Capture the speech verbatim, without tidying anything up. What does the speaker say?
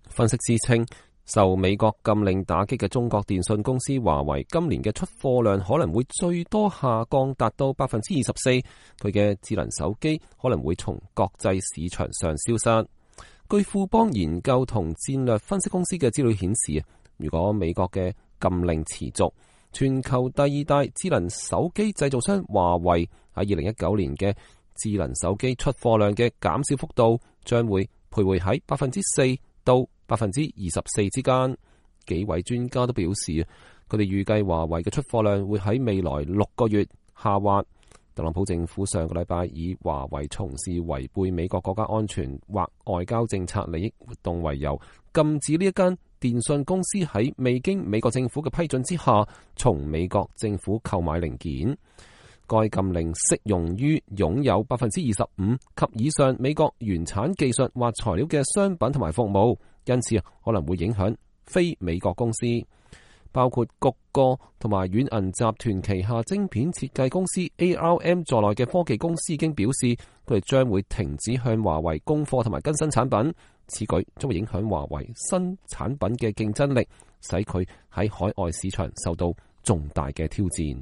分析師稱，受美國禁令打擊嘅中國電信公司華為今年嘅出貨量可能會最多下降達到百分之二十四，佢嘅智能手機可能會從國際市場上消失。據富邦研究同戰略分析公司嘅資料顯示，如果美國嘅禁令持續，全球第二大智能手機製造商華為喺二零一九年嘅智能手機出貨量嘅減少幅度將會徘徊喺百分之四到百分之二十四之間。幾位專家都表示，佢哋預計華為嘅出貨量會喺未來六個月下滑。特朗普政府上個禮拜以華為從事違背美國國家安全或外交政策利益活動為由，禁止呢一間電信公司喺未經美國政府嘅批准之下，從美國政府購買零件。該禁令適用於擁有百分之二十五及以上美國原產技術或材料嘅商品同埋服務，因此可能會影響非美國公司，包括谷歌同埋軟銀集團旗下晶片設計公司 A R M 在內嘅科技公司已經表示，佢哋將會停止向華為供貨同埋更新產品。此舉將會影響華為新產品嘅競爭力，使佢喺海外市場受到重大嘅挑戰。